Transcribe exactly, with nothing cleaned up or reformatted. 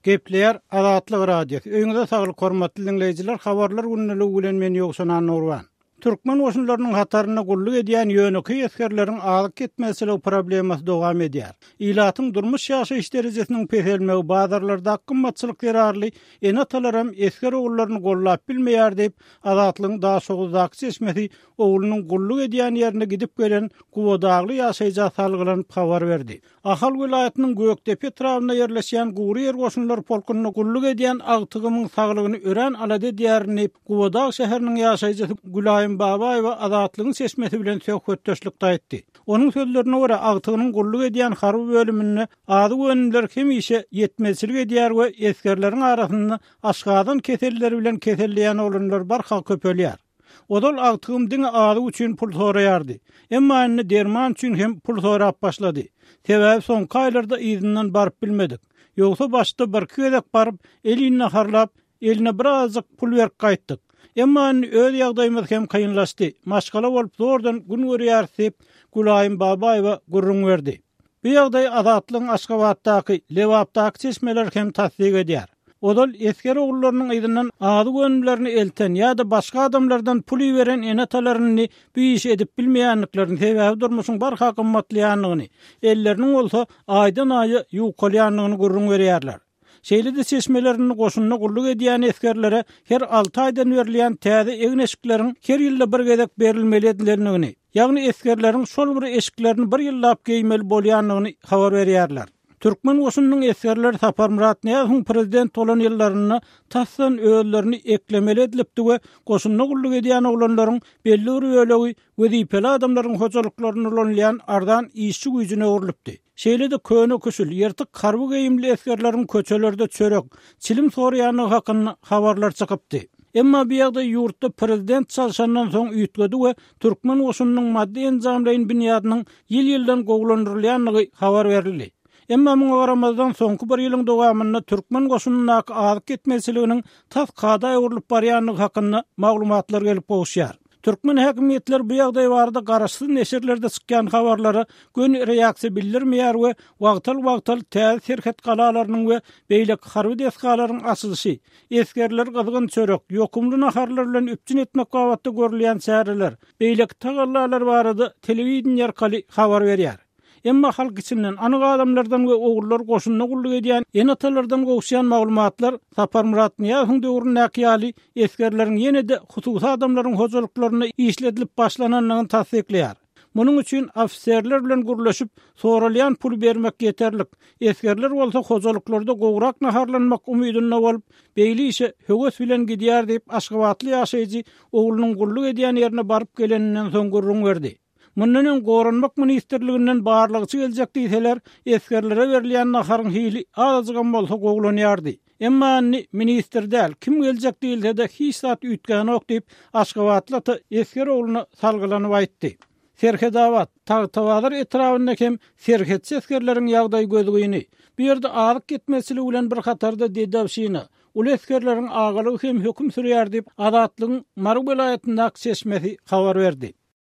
Gepleýär Azatlyk Radiosy. Öýüňize saglyk hormatly diňleýjiler, habarlar gündeligi bilen men Ýowşan Annurban. Türkmen goşunlarynyň hatarynda gulluk edýän ýönekeý esgerleriň azyk ýetmezçiligi problemasy dowam edýär. Ilatyň durmuş ýaşaýyş derejesiniň peselmegi, bazarlardaky gymmatçylyk zerarly ene-atalaram esger ogullaryny gollap bilmeýär diýip, Azatlygyň Daşoguzdaky çeşmesi oglunyň gulluk edýän ýerine gidip gelen Gubadagly ýaşaýja salgylanyp habar berdi. Ahal welaýatynyň Gökdepe etrabynda ýerleşýän Gury ýer goşunlary polkunda gulluk edýän agtygymyň saglygyny örän alada edýärin diýip, Gubadag şäheriniň ýaşaýjysy Gülaýym Babaýewa Azatlygyň çeşmesi bilen söhbetdeşlikde aýtdy. Onuň sözlerine görä, agtygynyň gulluk edýän harby bölüminde azyk önümleri hemişe ýetmezçilik edýär we esgerleriň arasynda aşgazan keselleri bilen keselleýän oglanlar barha köpelýär. Ozal agtygym diňe azyk üçin pul soraýardy. Emma indi derman üçin hem pul sorap başlady. Sebäbi soňky aýlarda yzyndan baryp bilmedik. Ýogsa başda birki gezek baryp, elini naharlap, eline birazajyk pul berip gaýtdyk. Emma indi öz ýagdaýymyz hem kynlaşdy. Maşgala bolup zordan gün görýäris diýip, Gülaýym Babaýewa gürrüň berdi. Bu ýagdaýy Azatlygyň Aşgabatdaky, Lebapdaky çeşmeleri hem tassyk edýär. Ozal esger ogullarynyň yzyndan azyk önümlerini elten ýa-da başga adamlardan pul iberen ene-atalar indi bu işi edip bilmeýändiklerini, sebäbi durmuşyň barha gymmatlaýandygyny, elleriniň bolsa aýdan-aýa ýukalýandygyny gürrüň berýärler. Şeýle-de çeşmeler indi goşunda gulluk edýän esgerlere her alty aýdan berilýän täze egin-eşikleriň her ýylda bir gezek berilmeli edilendigini, ýagny esgerleriň şol bir eşiklerini bir ýyllap geýmeli bolýandygyny habar berýärler. Türkmen goşunynyň esgerleri Saparmyrat Nyýazowyň prezident bolan ýyllarynda tasdan özlerini eklemeli edilipdi we goşunda gulluk edýän oglanlaryň belli bir bölegi wezipeli adamlaryň hojalyklarynda ulanylýan arzan işçi güýjüne öwrülipdi. Şeýle-de köne-küşül, ýyrtyk harby geýimli esgerleriň köçelerde çörek, çilim soraýandygy hakynda habarlar çykypdy. Emma bu ýagdaý ýurtda prezident çalşandan soň üýtgedi we türkmen goşunynyň maddy-enjamlaýyn binýadynyň ýyl-ýyldan gowulandyrylýandygy habar berildi. Emma muňa garamazdan soňky bir ýylyň dowamynda türkmen goşunyndaky azyk ýetmezçiliginiň tas kada öwrülip barýandygy hakynda maglumatlar gelip gowuşýar. Türkmen häkimiýetleri bu ýagdaý barada garaşsyz neşirlerde çykýan habarlara göni reaksiýa bildirmeýär we wagtal-wagtal täze serhet galalarynyň we beýleki harby desgalaryň açylyşy, esgerleri gyzgyn çörek, ýokumly naharlar bilen üpjün etmek babatda görülýän çäreler, beýleki tagallalar barada telewideniýe arkaly habar berýär. Emma halk içinden, anyk adamlardan we ogullar goşunda gulluk edýän ene-atalardan gowuşýan maglumatlar Saparmyrat Nyýazowyň döwründäki ýaly esgerleriň ýene-de hususy adamlaryň hojalyklarynda işledilip başlanandygyny tassyklaýar. Munuň üçin ofiserler bilen gürleşip, soralýan puly bermek ýeterlik. Esgerler bolsa hojalyklarda gowrak naharlanmak umydynda bolup, beýle işe höwes bilen gidýär diýip, aşgabatly ýaşaýjy oglunyň gulluk edýän ýerine baryp geleninden soň gürrüň berdi. Mundan öň Goranmak ministrliginden barlagçy geljek diýseler, esgerlere berilýän naharyň hili azajygam bolsa gowulanýardy. Emma indi ministr däl, kim geljek diýilse-de hiç zat üýtgänok diýip, aşgabatly ata esger ogluna salgylanyp aýtdy. Serhedabat, Tagtabazar etrabynda hem serhetçi esgerleriň ýagdaýy gözgyny. Bu ýerde azyk ýetmezçiligi bilen bir hatarda dedowşina, uly esgerleriň agalygy hem höküm sürýär diýip, Azatlygyň Mary welaýatyndaky çeşmesi habar berdi.